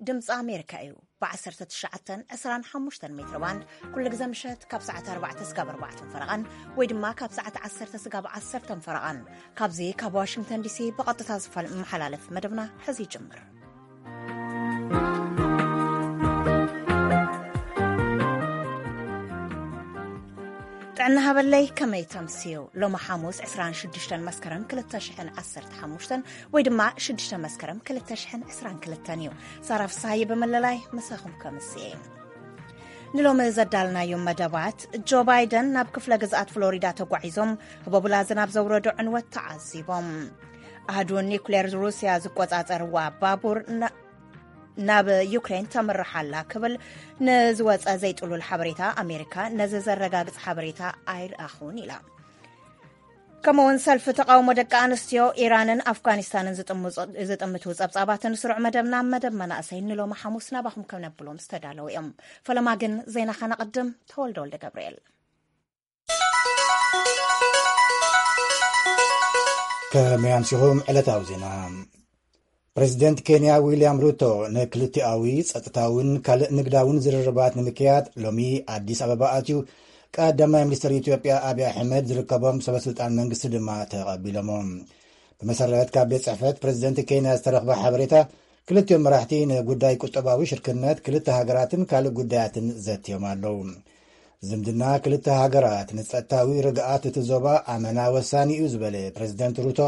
ድምፂ ኣሜሪካ እዩ። ብ1925 ሜትሮ ባንድ ኩሉ ግዜ ምሸት ካብ ሰዓት ኣርባዕተ ስጋብ ኣርባዕተ ፈረቓን ወይ ድማ ካብ ሰዓት ዓሰርተ ስጋብ ዓሰርተ ፈረቓን ካብዚ ካብ ዋሽንግተን ዲሲ ብቐጥታ ዝመሓላለፍ መደብና ሕዚ ይጅምር። ጥዕና ሃበለይ፣ ከመይ ተምስዩ? ሎሚ ሓሙስ ዕስራን ሽዱሽተን መስከረም ክልተ ሽሕን ዓሰርተ ሓሙሽተን ወይ ድማ ሽዱሽተ መስከረም ክልተ ሽሕን ዕስራን ክልተን እዩ። ሳራ ፍስሃየ ብምልላይ ምሳኹም ከምስየ። ንሎሚ ዘዳልናዮም መደባት፣ ጆ ባይደን ናብ ክፍለ ግዝኣት ፍሎሪዳ ተጓዒዞም ህቦብላ ዝናብ ዘውረዶ ዕንወት ተዓዚቦም። ኣህዱ ኒኩሌር ሩስያ ዝቆጻጸርዋ ባቡር ናብ ዩክሬን ተምርሕ ኣላ ክብል ንዝወጸ ዘይጥሉል ሓበሬታ፣ ኣሜሪካ ነዚ ዘረጋግጽ ሓበሬታ ኣይረኣኹን ኢላ። ከምኡውን ሰልፊ ተቃውሞ ደቂ ኣንስትዮ ኢራንን ኣፍጋኒስታንን ዝጥምቱ ጸብጻባትን ስሩዕ መደብና መደብ መናእሰይ ንሎሚ ሓሙስ ናባኹም ከነብሎም ዝተዳለዉ እዮም። ፈለማ ግን ዜና ከነቕድም። ተወልደ ወልደ ገብርኤል። ከመይ ኣምሲኹም? ዕለታዊ ዜና። ፕሬዚደንት ኬንያ ዊልያም ሩቶ ንክልቲኣዊ ጸጥታውን ካልእ ንግዳውን ዝርርባት ንምክያድ ሎሚ ኣዲስ ኣበባ ኣትዩ፣ ቀዳማይ ሚኒስትር ኢትዮጵያ ኣብይ ኣሕመድ ዝርከቦም ሰበስልጣን መንግስቲ ድማ ተቐቢሎሞ። ብመሰረት ካብ ቤት ጽሕፈት ፕሬዚደንት ኬንያ ዝተረኽበ ሓበሬታ፣ ክልቲኦም መራሕቲ ንጉዳይ ቁጠባዊ ሽርክነት ክልተ ሃገራትን ካልእ ጉዳያትን ዘትዮም ኣለዉ። ዝምድና ክልተ ሃገራት ንጸጥታዊ ርግኣት እቲ ዞባ ኣመና ወሳኒ እዩ ዝበለ ፕሬዚደንት ሩቶ፣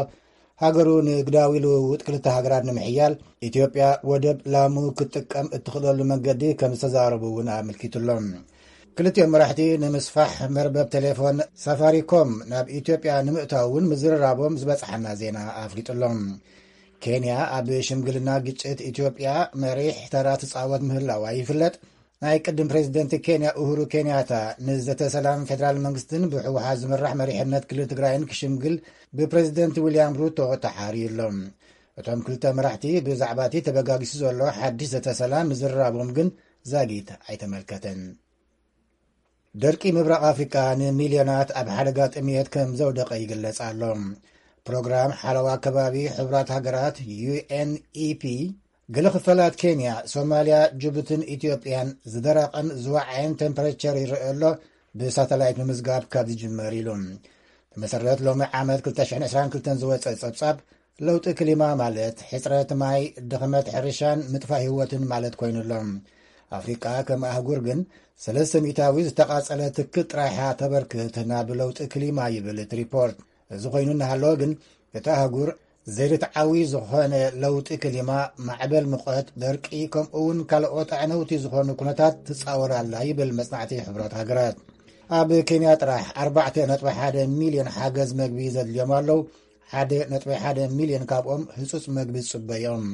ሃገሩ ንግዳዊ ልውውጥ ክልተ ሃገራት ንምሕያል ኢትዮጵያ ወደብ ላሙ ክትጥቀም እትኽእለሉ መንገዲ ከም ዝተዛረቡ እውን ኣመልኪቱሎም። ክልቲኦም መራሕቲ ንምስፋሕ መርበብ ቴሌፎን ሳፋሪኮም ናብ ኢትዮጵያ ንምእታው እውን ምዝርራቦም ዝበጽሓና ዜና ኣፍሊጡሎም። ኬንያ ኣብ ሽምግልና ግጭት ኢትዮጵያ መሪሕ ተራ ትጻወት ምህላዋ ይፍለጥ። ናይ ቅድም ፕሬዚደንት ኬንያ ኡሁሩ ኬንያታ ንዘተ ሰላም ፌደራል መንግስትን ብህወሓት ዝምራሕ መሪሕነት ክልል ትግራይን ክሽምግል ብፕሬዚደንት ዊልያም ሩቶ ተሓርዩ ኣሎ። እቶም ክልተ መራሕቲ ብዛዕባ እቲ ተበጋጊሱ ዘሎ ሓድሽ ዘተ ሰላም ምዝርራቦም ግን ዛጊት ኣይተመልከተን። ደርቂ ምብራቕ ኣፍሪቃ ንሚልዮናት ኣብ ሓደጋ ጥምየት ከም ዘውደቐ ይግለጽ ኣሎ። ፕሮግራም ሓለዋ ከባቢ ሕቡራት ሃገራት፣ ዩ ኤን ኢ ፒ፣ ገለ ክፋላት ኬንያ፣ ሶማልያ፣ ጅቡትን ኢትዮጵያን ዝደረቐን ዝወዓየን ቴምፐሬቸር ይረአ ኣሎ፣ ብሳተላይት ምምዝጋብ ካብ ዝጅመር ኢሉ። ብመሰረት ሎሚ ዓመት ክልተ ሽሕን ዕስራን ክልተን ዝወጸ ጸብጻብ፣ ለውጢ ክሊማ ማለት ሕጽረት ማይ፣ ድኽመት ሕርሻን ምጥፋእ ህይወትን ማለት ኮይኑ ኣሎ። ኣፍሪቃ ከም ኣህጉር ግን ሰለስተ ሚእታዊ ዝተቓጸለ ትክል ጥራይ እያ ተበርክት ናብ ለውጢ ክሊማ ይብል እቲ ሪፖርት። እዚ ኮይኑ እናሃለወ ግን እቲ ኣህጉር ዘይርትዓዊ ዝኾነ ለውጢ ክሊማ፣ ማዕበል ሙቐት፣ ደርቂ ከምኡ እውን ካልኦት ኣዕነውቲ ዝኾኑ ኩነታት ትጻወር ኣላ ይብል መጽናዕቲ ሕቡራት ሃገራት። ኣብ ኬንያ ጥራሕ ኣርባዕተ ነጥቢ ሓደ ሚልዮን ሓገዝ መግቢ ዘድልዮም ኣለዉ። ሓደ ነጥቢ ሓደ ሚልዮን ካብኦም ህጹጽ መግቢ ዝጽበዮም።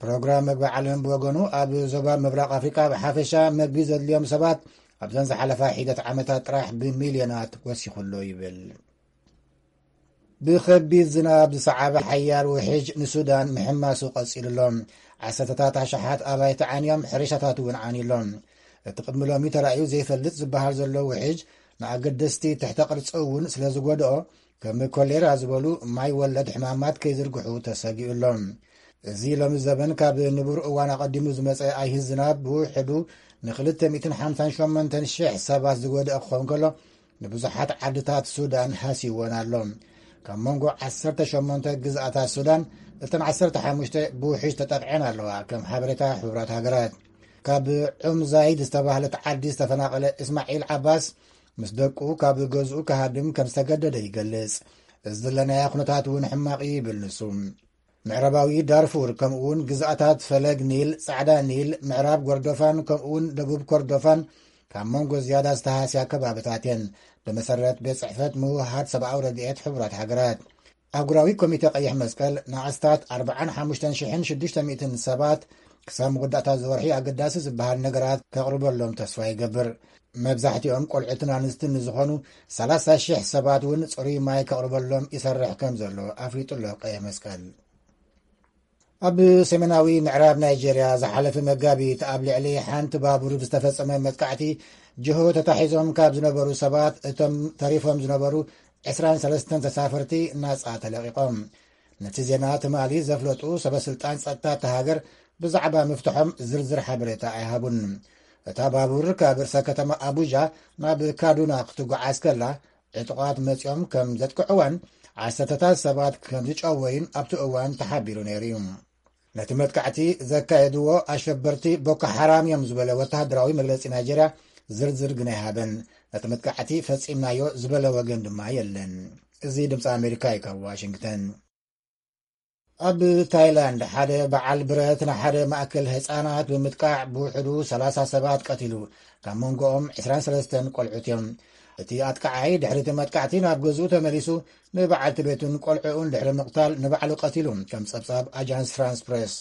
ፕሮግራም መግቢ ዓለም ብወገኑ ኣብ ዞባ ምብራቕ ኣፍሪቃ ብሓፈሻ መግቢ ዘድልዮም ሰባት ኣብዘን ዝሓለፋ ሒደት ዓመታት ጥራሕ ብሚልዮናት ወሲኹ ኣሎ ይብል። ብኸቢድ ዝናብ ዝሰዓበ ሓያል ውሕጅ ንሱዳን ምሕማሱ ቀጺሉ ኣሎ። ዓሰርተታት ኣሽሓት ኣባይቲ ዓንዮም፣ ሕርሻታት እውን ዓንዩ ኣሎ። እቲ ቅድሚ ሎሚ ተራእዩ ዘይፈልጥ ዝበሃል ዘሎ ውሕጅ ንኣገደስቲ ትሕተ ቅርጺ እውን ስለ ዝጎድኦ፣ ከም ኮሌራ ዝበሉ ማይ ወለድ ሕማማት ከይዝርግሑ ተሰጊኡ ኣሎ። እዚ ሎሚ ዘበን ካብ ንቡር እዋን ኣቐዲሙ ዝመጸ ኣይሂ ዝናብ ብውሕዱ ንክልተ ሚእትን ሓምሳን ሸሞንተን ሽሕ ሰባት ዝጎድኣ ክኸውን ከሎ፣ ንብዙሓት ዓድታት ሱዳን ሃስይወን ኣሎ። ካብ መንጎ ዓሰርተ ሸሞንተ ግዝኣታት ሱዳን፣ እተን ዓሰርተ ሓሙሽተ ብውሕጅ ተጠቕዐን ኣለዋ፣ ከም ሓበሬታ ሕቡራት ሃገራት። ካብ ዑም ዛይድ ዝተባህለት ዓዲ ዝተፈናቐለ እስማዒል ዓባስ፣ ምስ ደቁ ካብ ገዝኡ ክሃድም ከም ዝተገደደ ይገልጽ። እዚ ዘለናዮ ኩነታት እውን ሕማቕ እዩ ይብል ንሱ። ምዕራባዊ ዳርፉር፣ ከምኡውን ግዝኣታት ፈለግ ኒል፣ ጻዕዳ ኒል፣ ምዕራብ ጎርዶፋን፣ ከምኡውን ደቡብ ኮርዶፋን ካብ መንጎ ዝያዳ ዝተሃስያ ከባብታት እየን፣ ብመሰረት ቤት ጽሕፈት ምውሃድ ሰብኣዊ ረድኤት ሕቡራት ሃገራት። ኣህጉራዊ ኮሚተ ቀይሕ መስቀል ንኣስታት ኣርባዓን ሓሙሽተን ሽሕን ሽዱሽተ ሚእትን ሰባት ክሳብ መወዳእታ እዚ ወርሒ ኣገዳሲ ዝበሃል ነገራት ከቕርበሎም ተስፋ ይገብር። መብዛሕትኦም ቆልዑትን ኣንስትን ንዝኾኑ ሰላሳ ሽሕ ሰባት እውን ጽሩይ ማይ ከቕርበሎም ይሰርሕ ከም ዘሎ ኣፍሊጡ ኣሎ ቀይሕ መስቀል። ኣብ ሰሜናዊ ምዕራብ ናይጄርያ ዝሓለፈ መጋቢት ኣብ ልዕሊ ሓንቲ ባቡር ብዝተፈጸመ መጥቃዕቲ ጅሆ ተታሒዞም ካብ ዝነበሩ ሰባት እቶም ተሪፎም ዝነበሩ ዕስራን ሰለስተን ተሳፈርቲ ናጻ ተለቒቖም። ነቲ ዜና ትማሊ ዘፍለጡ ሰበስልጣን ጸጥታ እታ ሃገር ብዛዕባ ምፍትሖም ዝርዝር ሓበሬታ ኣይሃቡን። እታ ባቡር ካብ ርእሰ ከተማ ኣቡጃ ናብ ካዱና ክትጓዓዝ ከላ፣ ዕጡቓት መጺኦም ከም ዘጥቅዕዋን ዓሰርተታት ሰባት ከም ዝጨወዩን ኣብቲ እዋን ተሓቢሩ ነይሩ እዩ። ነቲ መጥቃዕቲ ዘካየድዎ ኣሸበርቲ ቦኮ ሓራም እዮም ዝበለ ወተሃደራዊ መግለጺ ናይጀርያ ዝርዝር ግን ኣይሃበን። ነቲ መጥቃዕቲ ፈጺምናዮ ዝበለ ወገን ድማ የለን። እዚ ድምፂ ኣሜሪካ እዩ ካብ ዋሽንግተን። ኣብ ታይላንድ ሓደ በዓል ብረት ንሓደ ማእከል ህጻናት ብምጥቃዕ ብውሕዱ ሰላሳ ሰባት ቀቲሉ፣ ካብ መንጎኦም ዕስራን ሰለስተን ቆልዑት እዮም። እቲ ኣጥቃዓይ ድሕሪ እቲ መጥቃዕቲ ናብ ገዝኡ ተመሊሱ ንበዓልቲ ቤቱን ቆልዑኡን ድሕሪ ምቕታል ንባዕሉ ቀቲሉ፣ ከም ጸብጻብ ኣጃንስ ፍራንስ ፕሬስ።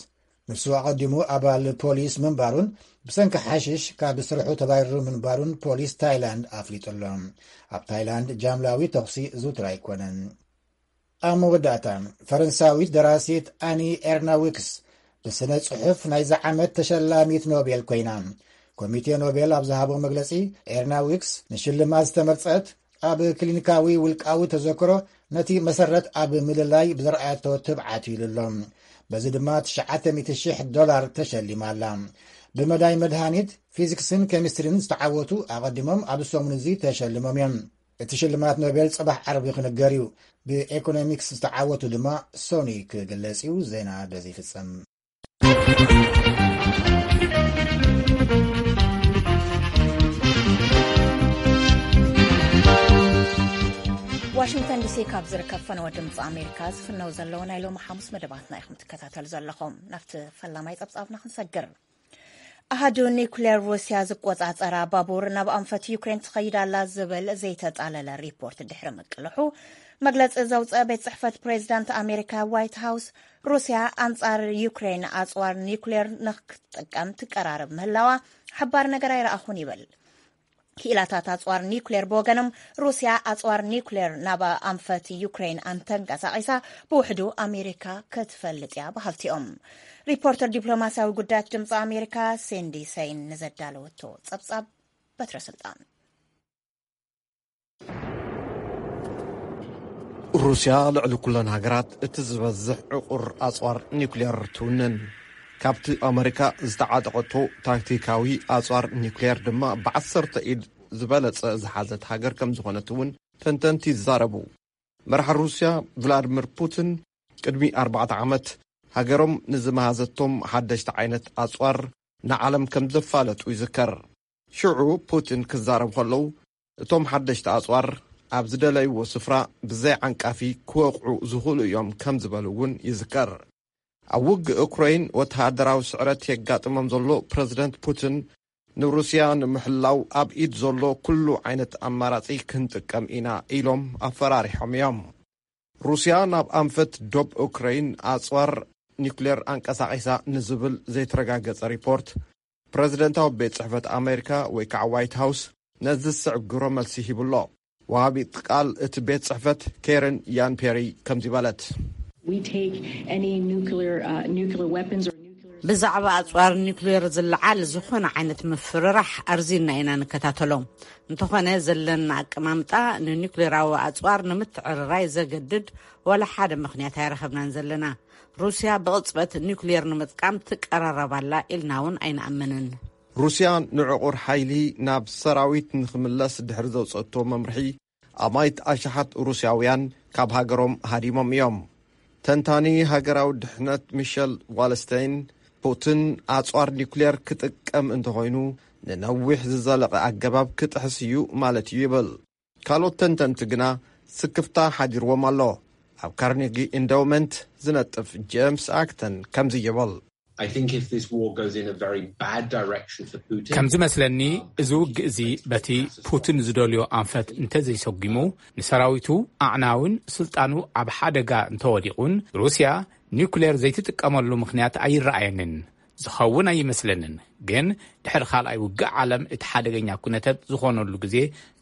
ንሱ ኣቐዲሙ ኣባል ፖሊስ ምንባሩን ብሰንኪ ሓሽሽ ካብ ስርሑ ተባሪሩ ምንባሩን ፖሊስ ታይላንድ ኣፍሊጡ ኣሎ። ኣብ ታይላንድ ጃምላዊ ተኹሲ ዝውትር ኣይኮነን። ኣብ መወዳእታ፣ ፈረንሳዊት ደራሲት ኣኒ ኤርናዊክስ ብስነ ጽሑፍ ናይዚ ዓመት ተሸላሚት ኖቤል ኮይና። ኮሚቴ ኖቤል ኣብ ዝሃቦ መግለጺ፣ ኤርናዊክስ ንሽልማት ዝተመርጸት ኣብ ክሊኒካዊ ውልቃዊ ተዘክሮ ነቲ መሰረት ኣብ ምልላይ ብዘርኣያቶ ትብዓት እዩ ኢሉ ኣሎ። በዚ ድማ ትሽዓተ ሚእቲ ሽሕ ዶላር ተሸሊማ ኣላ። ብመዳይ መድሃኒት፣ ፊዚክስን ኬሚስትሪን ዝተዓወቱ ኣቐዲሞም ኣብ ሰሙን እዚ ተሸልሞም እዮም። እቲ ሽልማት ኖቤል ጽባሕ ዓርቢ ክንገር እዩ። ብኤኮኖሚክስ ዝተዓወቱ ድማ ሶኒ ክግለጽ እዩ። ዜና በዚ ይፍጸም። ዋሽንግተን ዲሲ ካብ ዝርከብ ፈነወ ድምፂ ኣሜሪካ ዝፍነው ዘለዉ ናይ ሎሚ ሓሙስ መደባትና ኢኹም ትከታተሉ ዘለኹም። ናብቲ ፈላማይ ጸብጻብና ክንሰግር። ኣሃዱ ኒውክሌር ሩስያ ዝቆጻጸራ ባቡር ናብ ኣንፈት ዩክሬን ትኸይድ ኣላ ዝብል ዘይተጻለለ ሪፖርት ድሕሪ ምቅልሑ፣ መግለጺ ዘውጸ ቤት ጽሕፈት ፕሬዚዳንት ኣሜሪካ ዋይት ሃውስ፣ ሩስያ ኣንጻር ዩክሬን ኣጽዋር ኒውክሌር ንክትጥቀም ትቀራረብ ምህላዋ ሓባር ነገር ኣይረኣኹን ይብል። ክኢላታት ኣጽዋር ኒውክሌር ብወገኖም፣ ሩስያ ኣጽዋር ኒውክሌር ናብ ኣንፈት ዩክሬን ኣንተንቀሳቒሳ ብውሕዱ ኣሜሪካ ክትፈልጥ እያ በሃልቲ እዮም። ሪፖርተር ዲፕሎማሲያዊ ጉዳያት ድምፂ ኣሜሪካ ሲንዲ ሰይን ንዘዳለወቶ ጸብጻብ በትረ ስልጣን። ሩስያ ልዕሊ ኩለን ሃገራት እቲ ዝበዝሕ ዕቑር ኣጽዋር ኒውክሌር ትውንን። ካብቲ ኣመሪካ ዝተዓጠቐቶ ታክቲካዊ ኣጽዋር ኒውክሌር ድማ ብዓሰርተ ኢድ ዝበለጸ ዝሓዘት ሃገር ከም ዝኾነት እውን ተንተንቲ ይዛረቡ። መራሒ ሩስያ ቭላድሚር ፑቲን ቅድሚ ኣርባዕተ ዓመት ሃገሮም ንዝመሃዘቶም ሓደሽቲ ዓይነት ኣጽዋር ንዓለም ከም ዘፋለጡ ይዝከር። ሽዑ ፑቲን ክዛረብ ከለዉ፣ እቶም ሓደሽቲ ኣጽዋር ኣብ ዝደለይዎ ስፍራ ብዘይ ዓንቃፊ ክወቕዑ ዝኽእሉ እዮም ከም ዝበሉ እውን ይዝከር። ኣብ ውግእ ኡክራይን ወተሃደራዊ ስዕረት የጋጥሞም ዘሎ ፕረዚደንት ፑቲን፣ ንሩስያ ንምሕላው ኣብ ኢድ ዘሎ ኩሉ ዓይነት ኣማራጺ ክንጥቀም ኢና ኢሎም ኣፈራሪሖም እዮም። ሩስያ ናብ ኣንፈት ዶብ ኡክራይን ኣጽዋር ኒውክሌር ኣንቀሳቒሳ ንዝብል ዘይተረጋገጸ ሪፖርት፣ ፕረዚደንታዊ ቤት ጽሕፈት ኣሜሪካ ወይ ከዓ ዋይት ሃውስ ነዚ ዝስዕብ ግብረ መልሲ ሂቡሎ። ወሃቢት ቃል እቲ ቤት ጽሕፈት ኬረን ያን ፔሪ ከምዚ በለት። We take any nuclear, uh, nuclear weapons or nuclear ብዛዕባ ኣጽዋር ኒውክሌር ዝለዓል ዝኾነ ዓይነት ምፍርራሕ ኣርዚና ኢና ንከታተሎ። እንተኾነ ዘለና ኣቀማምጣ ንኒውክሌራዊ ኣጽዋር ንምትዕርራይ ዘገድድ ዋላ ሓደ ምኽንያት ኣይረኸብናን ዘለና። ሩስያ ብቕጽበት ኒውክሌር ንምጥቃም ትቀራረብ ኣላ ኢልና እውን ኣይንኣምንን። ሩስያ ንዕቑር ሓይሊ ናብ ሰራዊት ንኽምለስ ድሕሪ ዘውጸቶ መምርሒ፣ ኣማይት ኣሽሓት ሩስያውያን ካብ ሃገሮም ሃዲሞም እዮም። ተንታኒ ሃገራዊ ድሕነት ሚሸል ዋልስተይን፣ ፑቲን ኣጽዋር ኒውክሌር ክጥቀም እንተኾይኑ፣ ንነዊሕ ዝዘለቐ ኣገባብ ክጥሕስ እዩ ማለት እዩ ይብል። ካልኦት ተንተንቲ ግና ስክፍታ ሓዲርዎም ኣሎ። ኣብ ካርኔጊ ኢንዳውመንት ዝነጥፍ ጄምስ ኣክተን ከምዚ ይብል። I think if this war goes in a very bad direction for Putin, ከም ዝመስለኒ፣ እዚ ውግእ እዚ በቲ ፑቲን ዝደልዮ ኣንፈት እንተዘይሰጒሙ፣ ንሰራዊቱ ኣዕናውን ስልጣኑ ኣብ ሓደጋ እንተወዲቑን፣ ሩስያ ኒውክሌር ዘይትጥቀመሉ ምኽንያት ኣይረኣየንን። ዝኸውን ኣይመስለንን። ግን ድሕሪ ካልኣይ ውግእ ዓለም እቲ ሓደገኛ ኩነታት ዝኾነሉ ግዜ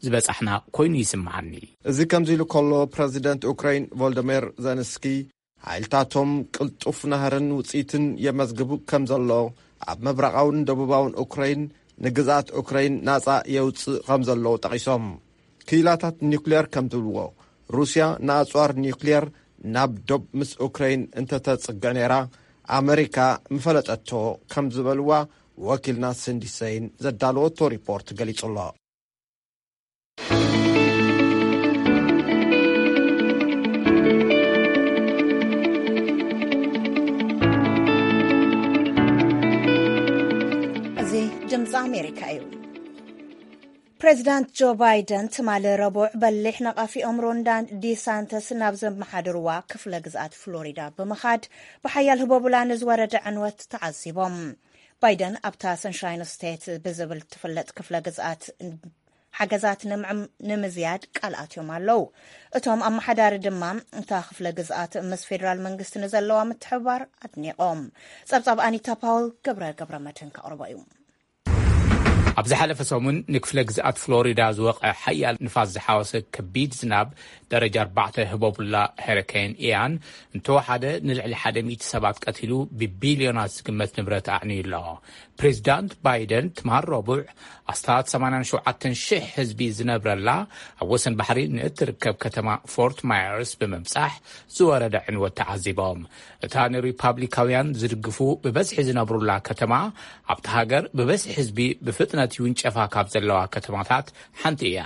ዝበጻሕና ኮይኑ ይስምዓኒ። እዚ ከምዚ ኢሉ ከሎ፣ ፕረዚደንት ኡክራይን ቮልደሜር ዘለንስኪ፣ ሓይልታቶም ቅልጡፍ ናህርን ውጽኢትን የመዝግቡ ከም ዘሎ፣ ኣብ ምብራቓውን ደቡባውን ኡክራይን ንግዝኣት ኡክራይን ናጻ የውጽእ ከም ዘሎ ጠቒሶም። ክኢላታት ኒውክሌር ከም ዝብልዎ፣ ሩስያ ንኣጽዋር ኒውክሌር ናብ ዶብ ምስ ኡክራይን እንተተጽግዕ ነይራ፣ ኣመሪካ ምፈለጠቶ ከም ዝበልዋ ወኪልና ስንዲ ሰይን ዘዳለወቶ ሪፖርት ገሊጹ ኣሎ። እዚ ድምፂ ኣሜሪካ እዩ። ፕሬዚዳንት ጆ ባይደን ትማሊ ረቡዕ በሊሕ ነቓፊኦም ሮን ዲሳንተስ ናብ ዘመሓድርዋ ክፍለ ግዝኣት ፍሎሪዳ ብምኻድ ብሓያል ህቦብላ ንዝወረደ ዕንወት ተዓዚቦም። ባይደን ኣብታ ሰንሻይን ስቴት ብዝብል ትፍለጥ ክፍለ ግዝኣት ሓገዛት ንምዕም-፣ ንምዝያድ ቃል ኣትዮም ኣለዉ። እቶም ኣመሓዳሪ ድማ እታ ክፍለ ግዝኣት ምስ ፌደራል መንግስቲ ንዘለዋ ምትሕብባር ኣድኒቖም። ጸብጻብ ኣኒታ ፓውል ገብረ ገብረ መድህን ከቕርቦ እዩ። ኣብ ዝሓለፈ ሰሙን ንክፍለ ግዝኣት ፍሎሪዳ ዝወቐ ሓያል ንፋስ ዝሓወሰ ከቢድ ዝናብ ደረጃ ኣርባዕተ ህቦብላ ሄሪኬን ኢያን እንተወሓደ ንልዕሊ ሓደ ሚእቲ ሰባት ቀቲሉ ብቢልዮናት ዝግመት ንብረት ኣዕንዩ ኣሎ። ፕሬዚዳንት ባይደን ትማል ረቡዕ ኣስታት ሰማንያን ሸውዓተን ሽሕ ህዝቢ ዝነብረላ ኣብ ወሰን ባሕሪ ንእትርከብ ከተማ ፎርት ማየርስ ብምብጻሕ ዝወረደ ዕንወት ተዓዚቦም። እታ ንሪፓብሊካውያን ዝድግፉ ብበዝሒ ዝነብሩላ ከተማ ኣብቲ ሃገር ብበዝሒ ህዝቢ ብፍጥነት ይውንጨፋ ካብ ዘለዋ ከተማታት ሓንቲ እያ።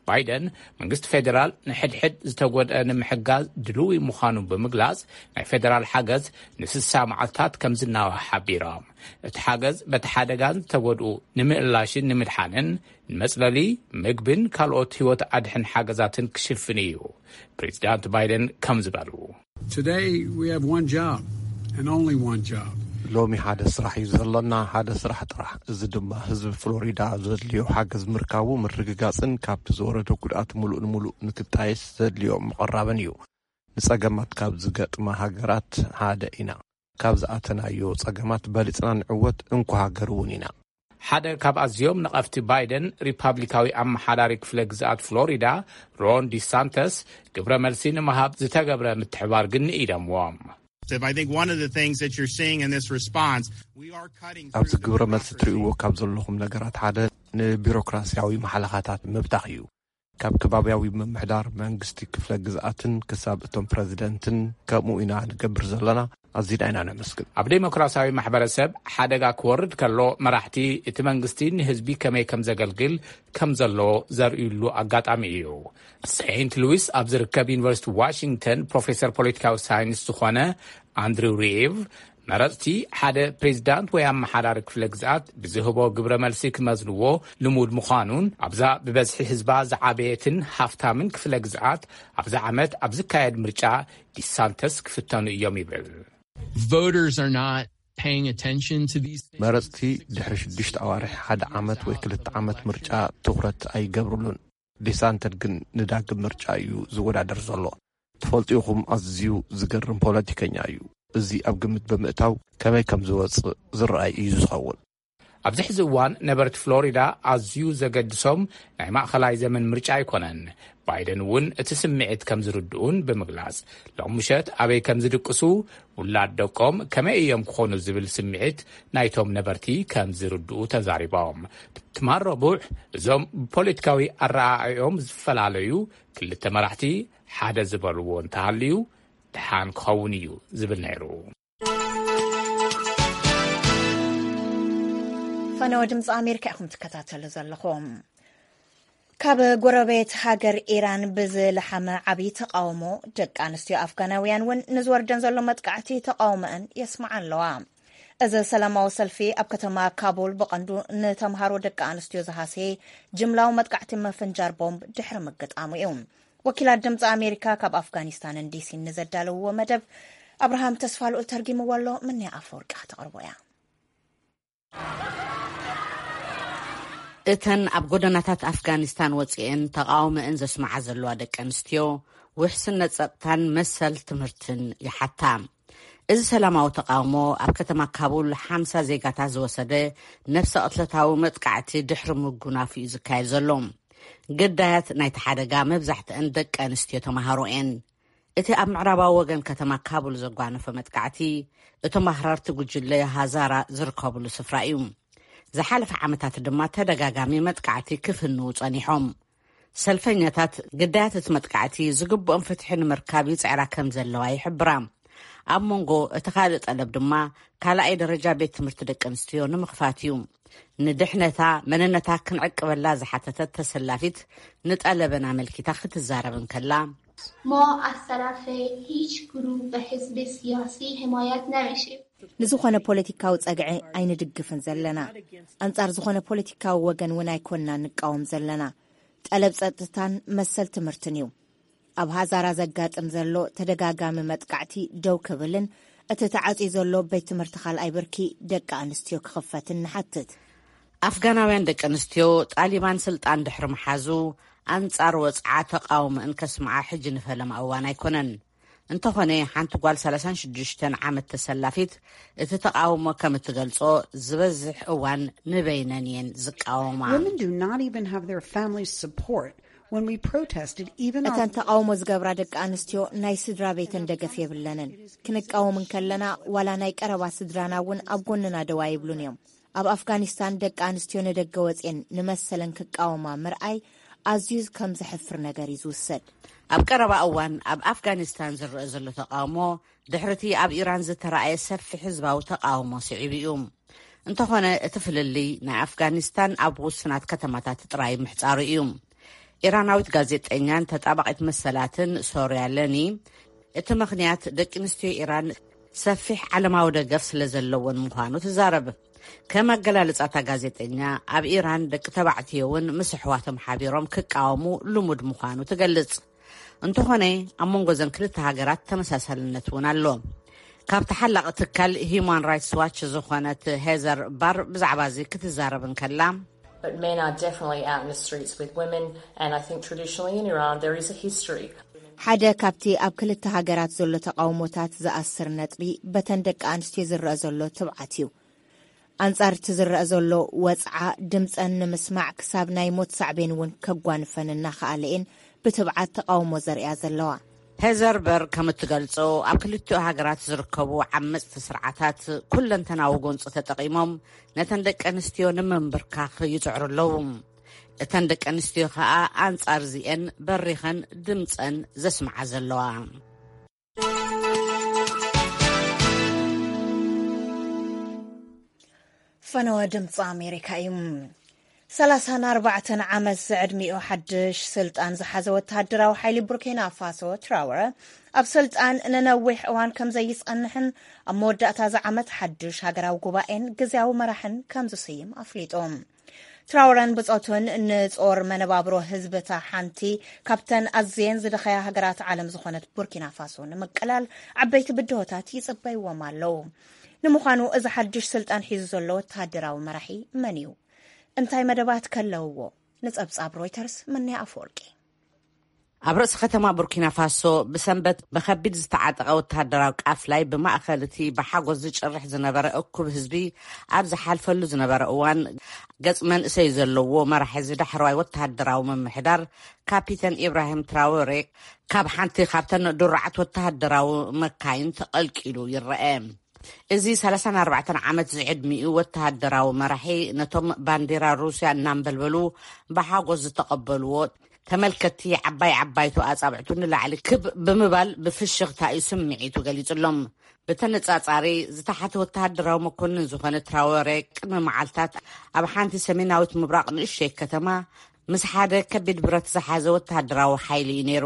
ባይደን መንግስቲ ፌደራል ንሕድሕድ ዝተጎድአ ንምሕጋዝ ድልዊ ምዃኑ ብምግላጽ ናይ ፌደራል ሓገዝ ንስሳ መዓልታት ከም ዝናዋሕ ሓቢሮም። እቲ ሓገዝ በቲ ሓደጋን ዝተጎድኡ ንምእላሽን ንምድሓንን ንመጽለሊ፣ ምግብን ካልኦት ህይወት ኣድሕን ሓገዛትን ክሽፍን እዩ። ፕሬዚዳንት ባይደን ከም ዝበሉ። Today, we have one job and only one job. ሎሚ ሓደ ስራሕ እዩ ዘሎና፣ ሓደ ስራሕ ጥራሕ። እዚ ድማ ህዝቢ ፍሎሪዳ ዘድልዮ ሓገዝ ምርካቡ ምርግጋጽን ካብቲ ዝወረደ ጉድኣት ሙሉእ ንሙሉእ ንክጣየስ ዘድልዮ ምቕራብን እዩ። ንጸገማት ካብ ዝገጥማ ሃገራት ሓደ ኢና። ካብ ዝኣተናዮ ጸገማት በሊጽና ንዕወት፣ እንኮ ሃገር እውን ኢና። ሓደ ካብ ኣዝዮም ነቐፍቲ ባይደን ሪፓብሊካዊ ኣመሓዳሪ ክፍለ ግዝኣት ፍሎሪዳ ሮን ዲሳንተስ ግብረ መልሲ ንምሃብ ዝተገብረ ምትሕባር ግን ንኢደምዎም። I think one of the things that you're seeing in this response, we are cutting ኣብዚ through ግብረ መልሲ ትርእይዎ ካብ ዘለኹም ነገራት ሓደ ንቢሮክራሲያዊ ማሕለኻታት ምብታኽ እዩ። ካብ ከባቢያዊ ምምሕዳር መንግስቲ ክፍለ ግዝኣትን ክሳብ እቶም ፕረዚደንትን ከምኡ ኢና ንገብር ዘለና። ኣዚና ኢና ነመስግን። ኣብ ዴሞክራሲያዊ ማሕበረሰብ ሓደጋ ክወርድ ከሎ መራሕቲ እቲ መንግስቲ ንህዝቢ ከመይ ከም ዘገልግል ከም ዘሎ ዘርእዩሉ ኣጋጣሚ እዩ። ሴንት ሉዊስ ኣብ ዝርከብ ዩኒቨርሲቲ ዋሽንግተን ፕሮፌሰር ፖለቲካዊ ሳይንስ ዝኾነ ኣንድሪው ሪቭ መረፅቲ ሓደ ፕሬዚዳንት ወይ ኣመሓዳሪ ክፍለ ግዝኣት ብዝህቦ ግብረ መልሲ ክመዝንዎ ልሙድ ምዃኑን ኣብዛ ብበዝሒ ህዝባ ዝዓበየትን ሃፍታምን ክፍለ ግዝኣት ኣብዚ ዓመት ኣብ ዝካየድ ምርጫ ዲሳንተስ ክፍተኑ እዮም ይብል። Voters are not paying attention to these things. መረፅቲ ድሕሪ ሽዱሽተ ኣዋርሕ፣ ሓደ ዓመት ወይ ክልተ ዓመት ምርጫ ትኹረት ኣይገብሩሉን። ዲሳንተስ ግን ንዳግም ምርጫ እዩ ዝወዳደር ዘሎ። ትፈልጡ ኢኹም፣ ኣዝዩ ዝገርም ፖለቲከኛ እዩ። እዚ ኣብ ግምት ብምእታው ከመይ ከም ዝወጽእ ዝረኣይ እዩ ዝኸውን። ኣብዚ ሕዚ እዋን ነበርቲ ፍሎሪዳ ኣዝዩ ዘገድሶም ናይ ማእኸላይ ዘመን ምርጫ ኣይኮነን። ባይደን እውን እቲ ስምዒት ከም ዝርድኡን ብምግላጽ፣ ሎም ምሸት ኣበይ ከም ዝድቅሱ፣ ውላድ ደቆም ከመይ እዮም ክኾኑ ዝብል ስምዒት ናይቶም ነበርቲ ከም ዝርድኡ ተዛሪቦም። ትማል ረቡዕ እዞም ብፖለቲካዊ ኣረኣእዮም ዝፈላለዩ ክልተ መራሕቲ ሓደ ዝበልዎ እንተሃልዩ ደሓን ክኸውን እዩ ዝብል ነይሩ። ፈነወ ድምፂ ኣሜሪካ ኢኹም ትከታተሉ ዘለኹም። ካብ ጎረቤት ሃገር ኢራን ብዝለሓመ ዓብዪ ተቃውሞ፣ ደቂ ኣንስትዮ ኣፍጋናውያን እውን ንዝወርደን ዘሎ መጥቃዕቲ ተቃውሞአን የስምዓ ኣለዋ። እዚ ሰላማዊ ሰልፊ ኣብ ከተማ ካቡል ብቐንዱ ንተምሃሮ ደቂ ኣንስትዮ ዝሃሰየ ጅምላዊ መጥቃዕቲ መፈንጃር ቦምብ ድሕሪ ምግጣሙ እዩ። ወኪላት ድምፂ ኣሜሪካ ካብ ኣፍጋኒስታንን ዲሲን ንዘዳለውዎ መደብ ኣብርሃም ተስፋልኡል ተርጊምዎ ኣሎ። ምንያ ኣፈወርቂ ከተቕርቦ እያ። እተን ኣብ ጎደናታት ኣፍጋኒስታን ወጺኤን ተቓውሞአን ዘስምዓ ዘለዋ ደቂ ኣንስትዮ፣ ውሕስነት ጸጥታን መሰል ትምህርትን ይሓታ። እዚ ሰላማዊ ተቓውሞ ኣብ ከተማ ካቡል ሓምሳ ዜጋታት ዝወሰደ ነፍሰ ቅትለታዊ መጥቃዕቲ ድሕሪ ምጉናፉ እዩ ዝካየድ ዘሎ። ግዳያት ናይቲ ሓደጋ መብዛሕትአን ደቂ ኣንስትዮ ተመሃሮ እየን። እቲ ኣብ ምዕራባዊ ወገን ከተማ ካቡል ዘጓነፈ መጥቃዕቲ፣ እቶም ኣኽራርቲ ጉጅለ ሃዛራ ዝርከብሉ ስፍራ እዩ። ዝሓለፈ ዓመታት ድማ ተደጋጋሚ መጥቃዕቲ ክፍንዉ ጸኒሖም። ሰልፈኛታት ግዳያት እቲ መጥቃዕቲ ዝግብኦም ፍትሒ ንምርካብ ይጽዕራ ከም ዘለዋ ይሕብራ። ኣብ መንጎ እቲ ካልእ ጠለብ ድማ ካልኣይ ደረጃ ቤት ትምህርቲ ደቂ ኣንስትዮ ንምኽፋት እዩ። ንድሕነታ መንነታ ክንዕቅበላ ዝሓተተት ተሰላፊት ንጠለበን ኣመልኪታ ክትዛረብ እንከላ፣ ما از طرف هیچ گروه و حزب سیاسی حمایت نمیشیم. ንዝኾነ ፖለቲካዊ ጸግዒ ኣይንድግፍን ዘለና። ኣንጻር ዝኾነ ፖለቲካዊ ወገን እውን ኣይኮንና ንቃወም ዘለና። ጠለብ ጸጥታን መሰል ትምህርትን እዩ። ኣብ ሃዛራ ዘጋጥም ዘሎ ተደጋጋሚ መጥቃዕቲ ደው ክብልን እቲ ተዓጽዩ ዘሎ ቤት ትምህርቲ ካልኣይ ብርኪ ደቂ ኣንስትዮ ክኽፈትን ንሓትት። ኣፍጋናውያን ደቂ ኣንስትዮ ጣሊባን ስልጣን ድሕሪ ምሓዙ ኣንጻር ወጽዓ ተቃውሞኣን ከስምዓ ሕጂ ንፈለማ እዋን ኣይኮነን። እንተኾነ ሓንቲ ጓል ሰላሳን ሽዱሽተን ዓመት ተሰላፊት እቲ ተቃውሞ ከም እትገልጾ ዝበዝሕ እዋን ንበይነን እየን ዝቃወማ። Women do not even have their family support. When we protested, even our እተን ተቃውሞ ዝገብራ ደቂ ኣንስትዮ ናይ ስድራ ቤተን ደገፍ የብለንን። ክንቃወም እንከለና ዋላ ናይ ቀረባ ስድራና እውን ኣብ ጎንና ደው ኣይብሉን እዮም። ኣብ ኣፍጋኒስታን ደቂ ኣንስትዮ ንደገ ወፅየን ንመሰለን ክቃወማ ምርኣይ ኣዝዩ ከም ዘሕፍር ነገር እዩ ዝውሰድ። ኣብ ቀረባ እዋን ኣብ ኣፍጋኒስታን ዝረአ ዘሎ ተቃውሞ ድሕርቲ ኣብ ኢራን ዝተረኣየ ሰፊሕ ህዝባዊ ተቃውሞ ስዒቡ እዩ። እንተኾነ እቲ ፍልልይ ናይ ኣፍጋኒስታን ኣብ ውሱናት ከተማታት ጥራይ ምሕጻሩ እዩ። ኢራናዊት ጋዜጠኛን ተጣባቒት መሰላትን ሶርያ ለኒ እቲ ምኽንያት ደቂ ኣንስትዮ ኢራን ሰፊሕ ዓለማዊ ደገፍ ስለ ዘለወን ምዃኑ ትዛረብ። ከም ኣገላልጻታ ጋዜጠኛ ኣብ ኢራን ደቂ ተባዕትዮ እውን ምስ ኣሕዋቶም ሓቢሮም ክቃወሙ ልሙድ ምዃኑ ትገልጽ። እንተኾነ ኣብ መንጎ ዘን ክልተ ሃገራት ተመሳሳልነት እውን ኣሎ። ካብ ተሓላቒ ትካል ሂዩማን ራይትስ ዋች ዝኾነት ሄዘር ባር ብዛዕባ እዚ ክትዛረብ እንከላ፣ But men are definitely out in the streets with women, and I think traditionally in Iran there is a history. ሓደ ካብቲ ኣብ ክልተ ሃገራት ዘሎ ተቃውሞታት ዝኣስር ነጥቢ በተን ደቂ ኣንስትዮ ዝረአ ዘሎ ትብዓት እዩ። ኣንጻር እቲ ዝረአ ዘሎ ወጽዓ ድምጸን ንምስማዕ ክሳብ ናይ ሞት ሳዕቤን እውን ከጓንፈን እናኸኣለ እየን ብትብዓት ተቃውሞ ዘርእያ ዘለዋ። ሄዘር በር ከም እትገልጾ ኣብ ክልቲኡ ሃገራት ዝርከቡ ዓመጽቲ ስርዓታት ኩለንተናዊ ጎንፂ ተጠቒሞም ነተን ደቂ ኣንስትዮ ንምንብርካኽ ይጽዕሩ ኣለዉ። እተን ደቂ ኣንስትዮ ከኣ ኣንጻር እዚኤን በሪኸን ድምጸን ዘስምዓ ዘለዋ። ፈነወ ድምፂ ኣሜሪካ እዩ። ሰላሳን ኣርባዕተን ዓመት ዝዕድሚኡ ሓድሽ ስልጣን ዝሓዘ ወተሃደራዊ ሓይሊ ቡርኪና ፋሶ ትራወረ ኣብ ስልጣን ንነዊሕ እዋን ከም ዘይጸንሕን ኣብ መወዳእታ እዚ ዓመት ሓድሽ ሃገራዊ ጉባኤን ግዝያዊ መራሕን ከም ዝስይም ኣፍሊጡ። ትራውረን ብጾቱን ንጾር መነባብሮ ህዝብታ ሓንቲ ካብተን ኣዝየን ዝደኸያ ሃገራት ዓለም ዝኾነት ቡርኪና ፋሶ ንምቅላል ዓበይቲ ብድሆታት ይጽበይዎም ኣለዉ። ንምዃኑ እዚ ሓድሽ ስልጣን ሒዙ ዘሎ ወተሃደራዊ መራሒ መን እዩ? እንታይ መደባት ከለውዎ? ንጸብጻብ ሮይተርስ መን ኣፈወርቂ። ኣብ ርእሲ ከተማ ቡርኪና ፋሶ ብሰንበት ብኸቢድ ዝተዓጠቐ ወተሃደራዊ ቃፍላይ ብማእኸል እቲ ብሓጎስ ዝጭርሕ ዝነበረ እኩብ ህዝቢ ኣብ ዝሓልፈሉ ዝነበረ እዋን፣ ገጽ መንእሰይ ዘለዎ መራሒ ዝዳሕረዋይ ወተሃደራዊ ምምሕዳር ካፒተን ኢብራሂም ትራወሬ ካብ ሓንቲ ካብተን ድሩዓት ወተሃደራዊ መካይን ተቐልቂሉ ይረአ። እዚ ሰላሳን ኣርባዕተን ዓመት ዝዕድሚኡ ወተሃደራዊ መራሒ ነቶም ባንዴራ ሩስያ እናንበልበሉ ብሓጎስ ዝተቐበልዎ ተመልከትቲ ዓባይ ዓባይቱ ኣጻብዕቱ ንላዕሊ ክብ ብምባል ብፍሽኽታ እዩ ስምዒቱ ገሊጹሎም። ብተነጻጻሪ ዝተሓተ ወተሃደራዊ መኮንን ዝኾነ ትራወሬ ቅድሚ መዓልታት ኣብ ሓንቲ ሰሜናዊት ምብራቕ ንእሽተይ ከተማ ምስ ሓደ ከቢድ ብረት ዝሓዘ ወተሃደራዊ ሓይሊ እዩ ነይሩ።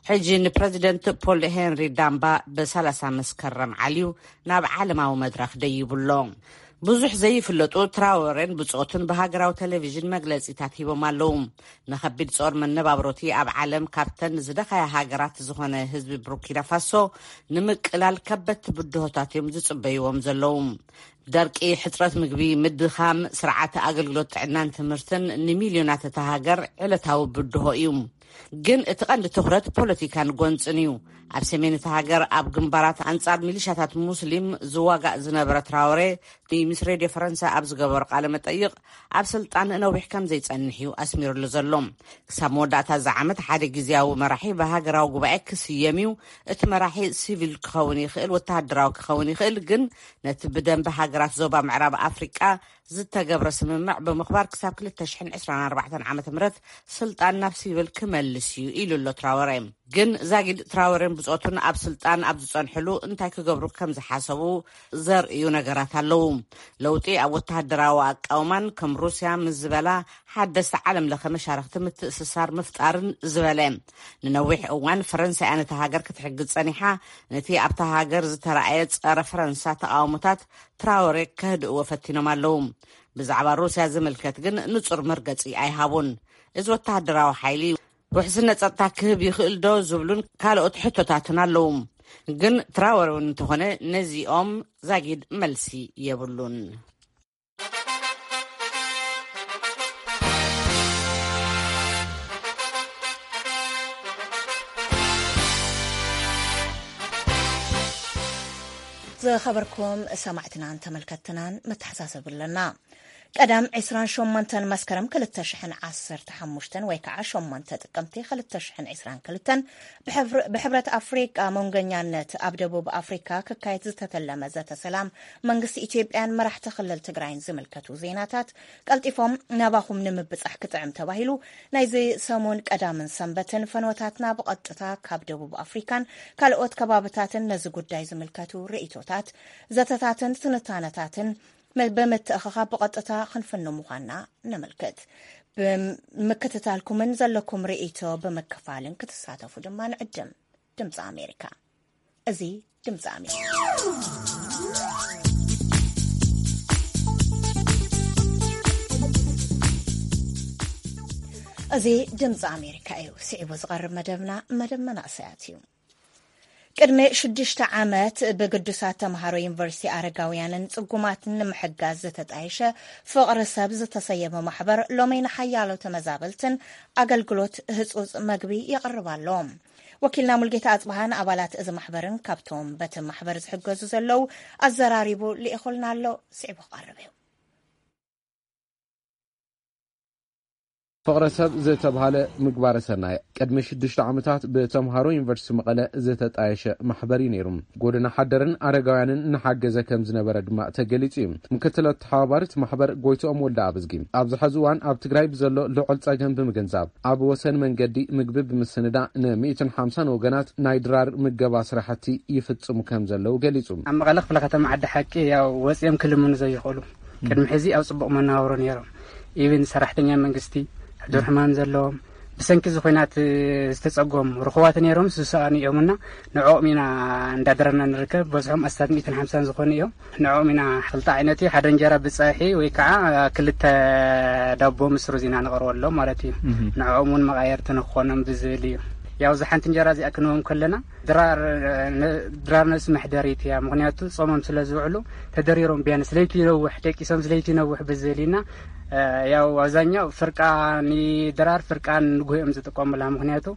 ሕጂ ንፕረዚደንት ፖል ሄንሪ ዳምባ ብሰላሳ መስከረም ዓልዩ ናብ ዓለማዊ መድረኽ ደይቡ ኣሎ። ብዙሕ ዘይፍለጡ ትራወሬን ብጾቱን ብሃገራዊ ቴሌቪዥን መግለጺታት ሂቦም ኣለዉ። ንኸቢድ ጾር መነባብሮቲ ኣብ ዓለም ካብተን ዝደኸያ ሃገራት ዝኾነ ህዝቢ ቡርኪና ፋሶ ንምቅላል ከበድቲ ብድሆታት እዮም ዝጽበይዎም ዘለዉ። ደርቂ፣ ሕጽረት ምግቢ፣ ምድኻም ስርዓተ ኣገልግሎት ጥዕናን ትምህርትን ንሚልዮናት እታ ሃገር ዕለታዊ ብድሆ እዩ። ግን እቲ ቀንዲ ትኹረት ፖለቲካን ጎንጽን እዩ። ኣብ ሰሜን እታ ሃገር ኣብ ግንባራት ኣንጻር ሚሊሻታት ሙስሊም ዝዋጋእ ዝነበረ ትራውሬ ምስ ሬድዮ ፈረንሳ ኣብ ዝገበሮ ቃለ መጠይቕ ኣብ ስልጣን ነዊሕ ከም ዘይጸንሕ እዩ ኣስሚሩሉ ዘሎ። ክሳብ መወዳእታ እዚ ዓመት ሓደ ግዝያዊ መራሒ ብሃገራዊ ጉባኤ ክስየም እዩ። እቲ መራሒ ሲቪል ክኸውን ይኽእል፣ ወተሃደራዊ ክኸውን ይኽእል፣ ግን ነቲ ብደንቢ ሃገራት ዞባ ምዕራብ ኣፍሪቃ ዝተገብረ ስምምዕ ብምኽባር ክሳብ ክልተ ሽሕን ዕስራን ኣርባዕተን ዓመተ ምህረት ስልጣን ናብ ሲቪል ክመ መልስ እዩ ኢሉ ኣሎ ትራወረ። ግን ዛጊድ ትራወረን ብጾቱን ኣብ ስልጣን ኣብ ዝጸንሕሉ እንታይ ክገብሩ ከም ዝሓሰቡ ዘርእዩ ነገራት ኣለዉ። ለውጢ ኣብ ወተሃደራዊ ኣቃውማን ከም ሩስያ ምስ ዝበላ ሓደስቲ ዓለም ለኸ መሻርኽቲ ምትእስሳር ምፍጣርን ዝበለ። ንነዊሕ እዋን ፈረንሳይ ነታ ሃገር ክትሕግዝ ጸኒሓ፣ ነቲ ኣብታ ሃገር ዝተረኣየ ጸረ ፈረንሳ ተቓውሞታት ትራወሬ ከህድእዎ ፈቲኖም ኣለዉ። ብዛዕባ ሩስያ ዝምልከት ግን ንጹር መርገጺ ኣይሃቡን። እዚ ወተሃደራዊ ሓይሊ ውሕስነት ጸጥታ ክህብ ይኽእል ዶ ዝብሉን ካልኦት ሕቶታትን ኣለዉ። ግን ትራወሬ እውን እንተኾነ ነዚኦም ዛጊድ መልሲ የብሉን። ዝኸበርኩም ሰማዕትናን ተመልከትናን መተሓሳሰብ ኣለና። ቀዳም ዕስራን ሸሞንተን መስከረም ክልተ ሽሕን ዓሰርተ ሓሙሽተን ወይ ከዓ ሸሞንተ ጥቅምቲ ክልተ ሽሕን ዕስራን ክልተን ብሕብር-፣ ብሕብረት ኣፍሪቃ መንገኛነት ኣብ ደቡብ ኣፍሪካ ክካየድ ዝተተለመ ዘተ ሰላም መንግስቲ ኢትዮጵያን መራሕቲ ክልል ትግራይን ዝምልከቱ ዜናታት ቀልጢፎም ናባኹም ንምብጻሕ ክጥዕም ተባሂሉ ናይዚ ሰሙን ቀዳምን ሰንበትን ፈንወታትና ብቐጥታ ካብ ደቡብ ኣፍሪካን ካልኦት ከባብታትን ነዚ ጉዳይ ዝምልከቱ ርእይቶታት፣ ዘተታትን ትንታነታትን መ-፣ ብምትእኽኻብ ብቐጥታ ክንፍኑ ምዃንና ነመልክት። ብምክትታልኩምን ዘለኩም ርእይቶ ብምክፋልን ክትሳተፉ ድማ ንዕድም። ድምፂ ኣሜሪካ። እዚ ድምፂ ኣሜሪካ። እዚ ድምፂ ኣሜሪካ እዩ። ስዒቡ ዝቐርብ መደብና መደብ መናእሰያት እዩ። ቅድሚ ሽዱሽተ ዓመት ብግዱሳት ተምሃሮ ዩኒቨርሲቲ ኣረጋውያንን ጽጉማትን ንምሕጋዝ ዝተጣየሸ ፍቕሪ ሰብ ዝተሰየመ ማሕበር ሎሚ ንሓያሎ ተመዛበልትን ኣገልግሎት ህጹጽ መግቢ የቕርብ ኣሎ። ወኪልና ሙልጌታ ኣጽብሃ ንኣባላት እዚ ማሕበርን ካብቶም በቲ ማሕበር ዝሕገዙ ዘለዉ ኣዘራሪቡ ልኢኹልና ኣሎ። ስዒቡ ክቐርብ እዩ። ፍቕረ ሰብ ዝተብሃለ ምግባረ ሰናይ ቅድሚ ሽዱሽተ ዓመታት ብተምሃሮ ዩኒቨርሲቲ መቐለ ዝተጣየሸ ማሕበር እዩ ነይሩ። ጎደና ሓደርን ኣረጋውያንን እናሓገዘ ከም ዝነበረ ድማ ተገሊጹ እዩ። ምክትል ኣተሓባባሪ እቲ ማሕበር ጎይትኦም ወልደ ኣብዝጊ ኣብዚ ሐዚ እዋን ኣብ ትግራይ ብዘሎ ልዑል ጸገም ብምግንዛብ ኣብ ወሰን መንገዲ ምግቢ ብምስንዳ ን ሚእትን ሓምሳን ወገናት ናይ ድራር ምገባ ስራሕቲ ይፍጽሙ ከም ዘለዉ ገሊጹ። ኣብ መቐለ ክፍለ ከተማ ዓዲ ሓቂ ያው ወፂኦም ክልምኑ ዘይኽእሉ ቅድሚ ሕዚ ኣብ ጽቡቕ መነባብሮ ነይሮም። ኢብን ሰራሕተኛ መንግስቲ፣ ሕዱር ሕማም ዘለዎም፣ ብሰንኪ እዚ ኹናት ዝተጸጎሙ ርኹባት ነይሮም፣ ዝሰኣኑ እዮም እና ንዕኦም ኢና እንዳደረና ንርከብ። በዝሖም ኣስታት ሚእትን ሓምሳን ዝኾኑ እዮም። ንዕኦም ኢና ክልተ ዓይነት እዩ፣ ሓደ እንጀራ ብጸብሒ ወይ ከዓ ክልተ ዳቦ ምስ ሩዝ ኢና ነቕርበሎም ማለት እዩ። ንዕኦም እውን መቓየርቲ ንክኾኖም ብዝብል እዩ። ያው እዛ ሓንቲ እንጀራ እዚኣ ክንህቦም ከለና ድራር፣ ነ-፣ ድራር ነብሲ መሕደሪት እያ። ምኽንያቱ ጾሞም ስለ ዝውዕሉ ተደሪሮም ቢያንስ ለይቲ ይነውሕ፣ ደቂሶም ለይቲ ይነውሕ ብዝብል ኢና። እ፣ ያው ኣብዛኛው ፍርቃ ንድራር ፍርቃ ንግሆ እዮም ዝጥቀሙላ። ምኽንያቱ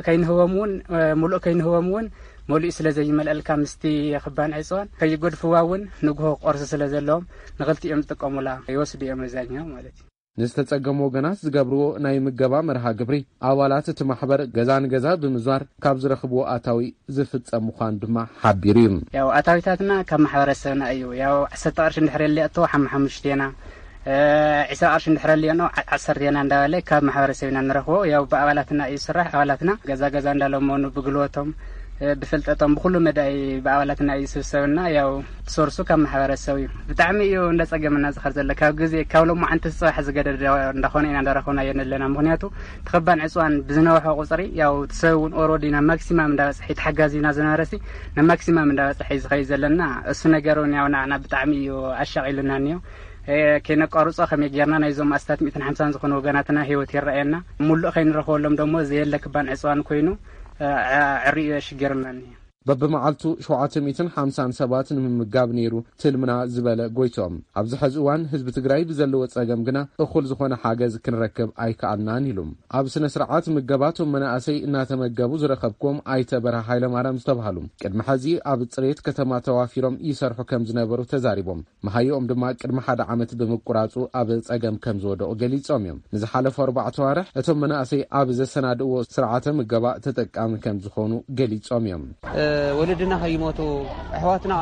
ከይንህቦም እውን፣ እ፣ ሙሉእ ከይንህቦም እውን መሊኡ ስለ ዘይመልአልካ ምስቲ ክባን ዕፅዋን ከይጎድፍዋ እውን ንግሆ ቁርሲ ስለ ዘለዎም ንኽልቲኦም ዝጥቀሙላ ይወስዱ እዮም ኣብዛኛው ማለት እዩ። ንዝተጸገሙ ወገናት ዝገብርዎ ናይ ምገባ መርሃ ግብሪ ኣባላት እቲ ማሕበር ገዛ ንገዛ ብምዝዋር ካብ ዝረኽብዎ ኣታዊ ዝፍጸም ምዃኑ ድማ ሓቢሩ እዩ። ያው ኣታዊታትና ካብ ማሕበረሰብና እዩ። ያው ዓሰርተ ቅርሺ እንድሕር የለቶ ሓማ ሓሙሽቴና፣ እ፣ ዕስራ ቅርሺ እንድሕር የለየኖ ዓ-፣ ዓሰርቴና እንዳበለ ካብ ማሕበረሰብ ኢና ንረኽቦ። ያው ብኣባላትና እዩ ዝስራሕ። ኣባላትና ገዛ ገዛ እንዳለመኑ ብግልቦቶም፣ እ፣ ብፍልጠቶም ብኩሉ መዳይ ብኣባላትና እዩ ዝስብሰብና። ያው ሶርሱ ካብ ማሕበረሰብ እዩ። ብጣዕሚ እዩ እንዳጸገመና ዝኸድ ዘሎ። ካብ ግዜ፣ ካብ ሎማዓንቲ ጽባሕ ዝገደደ እንዳኾነ ኢና እንዳረኸብናዮ ዘለና። ምኽንያቱ እቲ ክባን ዕፅዋን ብዝነውሐ ቁፅሪ፣ ያው እቲ ሰብ እውን ኦሮዲ ናብ ማክሲማም እንዳበፅሐ፣ ተሓጋዚና ዝነበረሲ ናብ ማክሲማም እንዳበፅሐ እዩ ዝኸይድ ዘለና። እሱ ነገር እውን ያው ንዓና ብጣዕሚ እዩ ኣሻቒሉና እኒኦ። እ፣ ከይነቋርጾ ከመይ ጌርና ናይዞም ኣስታት ሚእትን ሓምሳን ዝኾኑ ወገናትና ህይወት ይረኣየና። ሙሉእ ከይንረኽበሎም ደሞ ዘየለ ክባን ዕፅዋን ኮይኑ፣ እ፣ ዕ-፣ ዕሪኡ የሽግርና እኒኦ። በብመዓልቱ ሸውዓተ ሚእትን ሓምሳን ሰባት ንምምጋብ ነይሩ ትልምና ዝበለ ጎይቶም፣ ኣብዚ ሐዚ እዋን ህዝቢ ትግራይ ብዘለዎ ጸገም ግና እኹል ዝኾነ ሓገዝ ክንረክብ ኣይከኣልናን ኢሉ። ኣብ ስነ ስርዓት ምገባ እቶም መናእሰይ እናተመገቡ ዝረኸብኩዎም ኣይተ በርሀ ሃይለማርያም ዝተባህሉ፣ ቅድሚ ሐዚ ኣብ ጽሬት ከተማ ተዋፊሮም ይሰርሑ ከም ዝነበሩ ተዛሪቦም። መሃይኦም ድማ ቅድሚ ሓደ ዓመት ብምቁራጹ ኣብ ጸገም ከም ዝወደቑ ገሊጾም እዮም። ንዝሓለፉ ኣርባዕተ ኣዋርሕ እቶም መናእሰይ ኣብ ዘሰናድእዎ ስርዓተ ምገባ ተጠቃሚ ከም ዝኾኑ ገሊጾም እዮም። እ፣ ወለድና ከይሞቱ፣ ኣሕዋትና፣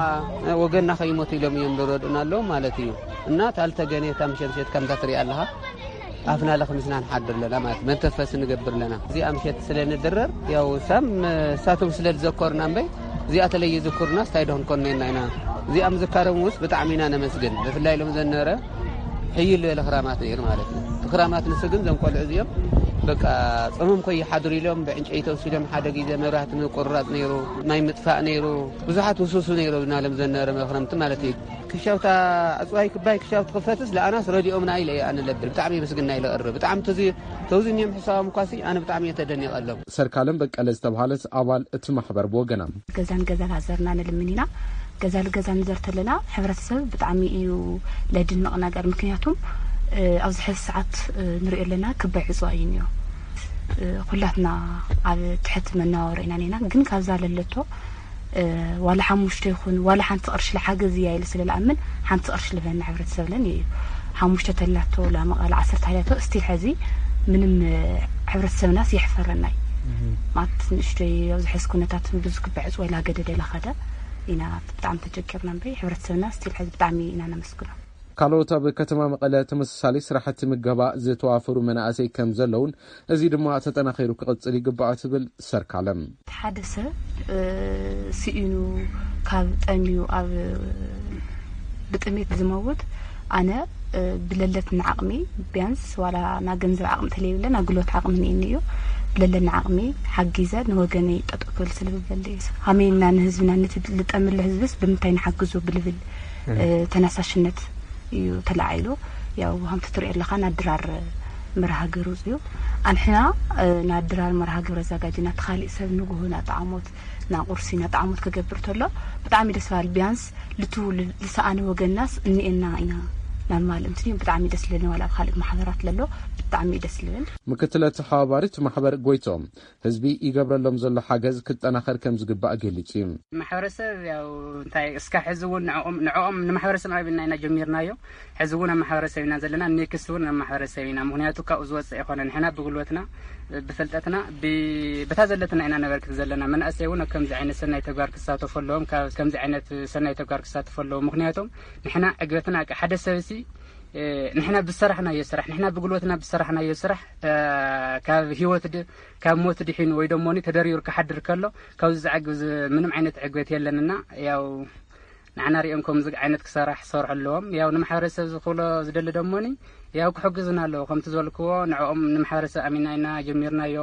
ወገንና ከይሞቱ ኢሎም እዮም ዝረድኡና ኣለዉ ማለት እዩ። እና ታልተገኔታ ምሸምሸት ከምዛ ትሪኣ ኣለኻ። ኣፍና ለኽሚስና ንሓድር ኣለና ማለት መንተፈስ ንገብር ኣለና። እዚኣ ምሸት ስለ ንድረር ያው ሳም እሳቶም ስለ ዝዘከሩና እምበይ እዚኣ ተለይ ይዝክሩና ስታይ ዶ ክንኮን ነና ኢና። እዚኣ ምዝካሮም ውስ ብጣዕሚ ኢና ነመስግን። ብፍላይ ኢሎም ዘነረ ሕይል ዝበለ ክራማት ነይሩ ማለት እዩ። እቲ ክራማት ንሱ ግን ዘም ቆልዑ እዚኦም በቃ ጾሞም ከይሓድሩ ኢሎም ብዕንጨይቲ ወሲዶም ሓደ ግዜ መብራህቲ ምቁርራጽ ነይሩ፣ ማይ ምጥፋእ ነይሩ፣ ብዙሓት ውስውሱ ነይሩ ናለም ዘነረ መኽረምቲ ማለት እዩ። ክሻውታ ኣጽዋይ ክባይ ክሻውቲ ክፈትስ ለኣናስ ረዲኦም ናይ ኢለ ኣነ ለብል ብጣዕሚ ምስግና ኢለ ቀርብ ብጣዕሚ ተዚ ተውዝን እዮም ሕሳቦም ኳሲ ኣነ ብጣዕሚ እየ ተደኒቐሎም። ሰርካለም በቀለ ዝተባሃለት ኣባል እቲ ማሕበር ብወገና፣ ገዛን ገዛን ሃዘርና ንልምን ኢና። ገዛ ልገዛ ንዘር ተለና ሕብረተሰብ ብጣዕሚ እዩ ለድንቕ ነገር። ምክንያቱም፣ እ፣ ኣብዚ ሕዚ ሰዓት፣ እ፣ ንሪኦ ኣለና ክባይ ዕፅዋ እዩ እኒኦ። እ፣ ኩላትና ኣብ ትሕቲ መነባበሮ ኢና ኔና። ግን ካብዛ ለለቶ፣ እ፣ ዋላ ሓሙሽተ ይኹን ዋላ ሓንቲ ቅርሺ ለሓገዝ እያ ኢለ ስለ ለኣምን ሓንቲ ቅርሺ ልበና ሕብረተሰብ ለን እዩ። ሓሙሽተ ተላቶ ላመቃል ዓሰርተ ሓዳቶ ስቲል ሕዚ ምንም፣ እ፣ ሕብረተሰብናስ የሕፈረናይ። ማት ንእሽተይ ኣብዚ ሕዚ ኩነታት ብዙ ክባይ ዕፅዋ ኢላ ገደደ ለኸደ ኢና ብጣዕሚ ተቸገርና እምበይ፣ ሕብረተሰብና ስቲል ሕዚ ብጣዕሚ ኢና ነመስግኖ። ካልኦት ኣብ ከተማ መቐለ ተመሳሳሊ ስራሕቲ ምገባ ዝተዋፈሩ መናእሰይ ከም ዘለውን፣ እዚ ድማ ተጠናኺሩ ክቕጽል ይግባእ ትብል ሰርካለም። ሓደ ሰብ፣ እ፣ ስኢኑ ካብ ጠምዩ ኣብ ብጥሜት ዝመውት፣ ኣነ፣ እ፣ ብለለትና ዓቕሚ ቢያንስ ዋላ ና ገንዘብ ዓቕሚ ተለይብለ ና ጉልበት ዓቕሚ ንእኒ እዩ። ብለለና ዓቕሚ ሓጊዘ ንወገነይ ጠጠው ክብል ስልብበል እዩ። ሃመይና ንህዝብና ነቲ ልጠምሉ ህዝብስ ብምንታይ ንሓግዞ ብልብል፣ እ፣ ተነሳሽነት እዩ ተለዓይሉ። ያው ከምቲ ትሪኦ ኣለኻ ናብ ድራር መርሃ ግብሪ ውፅኡ። ኣንሕና፣ እ፣ ናብ ድራር መርሃ ግብሪ ኣዘጋጅና እቲ ካሊእ ሰብ ንጉሆ ናብ ጣዕሞት ናብ ቁርሲ ናብ ጣዕሞት ክገብር ተሎ ብጣዕሚ ደስ በሃል። ቢያንስ ልቱ ል-፣ ልሰኣነ ወገንናስ እኒኤና ኢና ናብ ማል እንትንዩ ብጣዕሚ ደስ ለኒ ዋላ ኣብ ካልእ ማሕበራት ለሎ ብጣዕሚ ደስ ልብል። ምክትለ ተሓባባሪት ማሕበር ጎይቶም ህዝቢ ይገብረሎም ዘሎ ሓገዝ ክጠናኸር ከም ዝግባእ ገሊጹ እዩ። ማሕበረሰብ ያው እንታይ እስካ ሕዚ እውን ንዕኦም ንዕኦም ንማሕበረሰብ ኣብና ኢና ጀሚርናዮ። ሕዚ እውን ኣብ ማሕበረሰብ ኢና ዘለና፣ ኔክስት እውን ኣብ ማሕበረሰብ ኢና። ምክንያቱ ካብኡ ዝወፅእ ኣይኮነ። ንሕና ብጉልበትና ብፍልጠትና ብ-፣ በታ ዘለትና ኢና ነበርክት ዘለና። መናእሰይ እውን ኣብ ከምዚ ዓይነት ሰናይ ተግባር ክሳተፉ ኣለዎም፣ ካብ ከምዚ ዓይነት ሰናይ ተግባር ክሳተፉ ኣለዎም። ምክንያቱም ንሕና ዕግበትና ሓደ ሰብሲ እ፣ ንሕና ብዝሰራሕናዮ ስራሕ፣ ንሕና ብጉልበትና ብዝሰራሕናዮ ስራሕ፣ እ፣ ካብ ህይወት ድ-፣ ካብ ሞት ድሒኑ ወይ ደሞኒ ተደሪሩ ክሓድር ከሎ፣ ካብዚ ዝዕግብ ዝ-፣ ምንም ዓይነት ዕግበት የለንና። ያው ንዓና ሪኦም ከምዚ ዓይነት ክሰራሕ ክሰርሑ ኣለዎም። ያው ንማሕበረሰብ ዝኽእሎ ዝደሊ ደሞኒ፣ ያው ክሕግዙና ኣለዎ። ከምቲ ዝበልክዎ ንዕኦም ንማሕበረሰብ ኣሚና ኢና ጀሚርናዮ።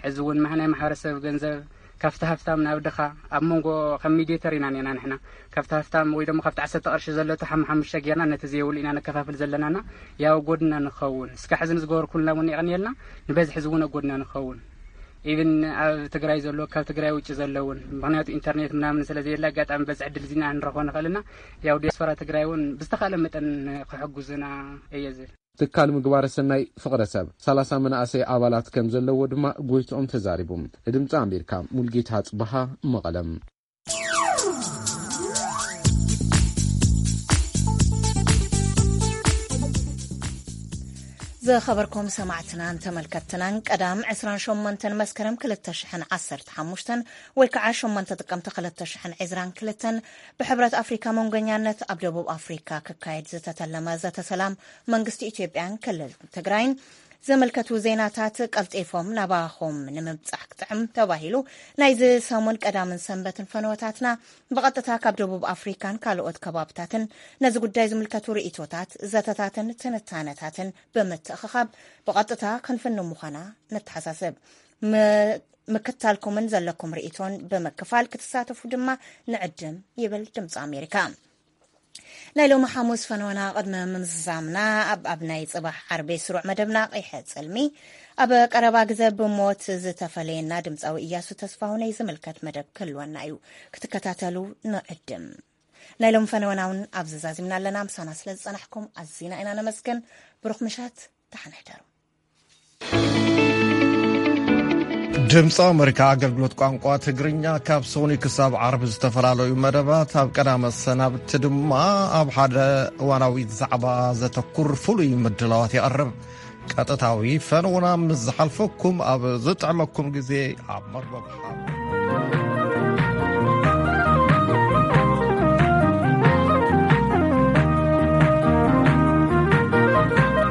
ሕዚ እውን ማህ-፣ ናይ ማሕበረሰብ ገንዘብ ካብቲ ሃፍታም ናብ ድኻ ኣብ መንጎ ከም ሚዲየተር ኢና ኔና ንሕና። ካብቲ ሃፍታም ወይ ደሞ ካብቲ ዓሰርተ ቅርሺ ዘሎ እቲ ሓም-፣ ሓሙሽተ ጌርና ነቲ ዘይብሉ ኢና ነከፋፍል ዘለናና። ያው ጎድና ንኸውን። እስካ ሕዚ ንዝገበርኩልና እውን የቐንየልና። ንበዝሒ እዚ እውን ኣብ ጎድና ንኸውን። ኢቭን ኣብ ትግራይ ዘሎ፣ ካብ ትግራይ ውጭ ዘለውን፣ ምክንያቱ ኢንተርኔት ምናምን ስለ ዘየለ ኣጋጣሚ በዚ ዕድል እዚና ንረኽቦ ንኽእልና። ያው ዲያስፖራ ትግራይ እውን ብዝተኻለ መጠን ክሕጉዝና እየ ዝብል። ትካል ምግባረ ሰናይ ፍቕረ ሰብ ሰላሳ መናእሰይ ኣባላት ከም ዘለዎ ድማ ጎይትኦም ተዛሪቡ። ንድምፂ ኣሜሪካ ሙልጌታ ጽበሃ መቐለም። ዝኸበርኩም ሰማዕትናን ተመልከትትናን፣ ቀዳም ዕስራን ሸሞንተን መስከረም ክልተ ሽሕን ዓሰርተ ሓሙሽተን ወይ ከዓ ሸሞንተ ጥቅምቲ ክልተ ሽሕን ዕስራን ክልተን ብሕብረት ኣፍሪካ መንጎኛነት ኣብ ደቡብ ኣፍሪካ ክካየድ ዝተተለመ ዘተ ሰላም መንግስቲ ኢትዮጵያን ክልል ትግራይን ዝምልከቱ ዜናታት ቀልጢፎም ናባኹም ንምብጻሕ ክጥዕም ተባሂሉ ናይዚ ሰሙን ቀዳምን ሰንበትን ፈነወታትና ብቐጥታ ካብ ደቡብ ኣፍሪካን ካልኦት ከባብታትን ነዚ ጉዳይ ዝምልከቱ ርእይቶታት፣ ዘተታትን ትንታነታትን ብምትእኽኻብ ብቐጥታ ክንፍኑ ምዃና ነተሓሳስብ። ም-፣ ምክታልኩምን ዘለኩም ርእይቶን ብምክፋል ክትሳተፉ ድማ ንዕድም ይብል ድምፂ ኣሜሪካ። ናይ ሎሚ ሓሙስ ፈነወና ቅድሚ ምምዝዛምና ኣብ፣ ኣብ ናይ ጽባሕ ዓርቢ ስሩዕ መደብና ቂሐ ጽልሚ ኣብ ቀረባ ግዜ ብሞት ዝተፈለየና ድምፃዊ እያሱ ተስፋሁነይ ዝምልከት መደብ ክህልወና እዩ። ክትከታተሉ ንዕድም። ናይ ሎሚ ፈነወና እውን ኣብዚ ዛዚምና ኣለና። ምሳና ስለ ዝጸናሕኩም ኣዚና ኢና ነመስግን። ብሩኽ ምሸት፣ ደሓን ሕደሩ። ድምፂ ኣሜሪካ ኣገልግሎት ቋንቋ ትግርኛ ካብ ሶኒ ክሳብ ዓርቢ ዝተፈላለዩ መደባት፣ ኣብ ቀዳመ ሰናብቲ ድማ ኣብ ሓደ እዋናዊ ዛዕባ ዘተኩር ፍሉይ ምድላዋት የቕርብ። ቀጥታዊ ፈነውና ምስ ዝሓልፈኩም ኣብ ዝጥዕመኩም ግዜ ኣብ መርበብ ሓ-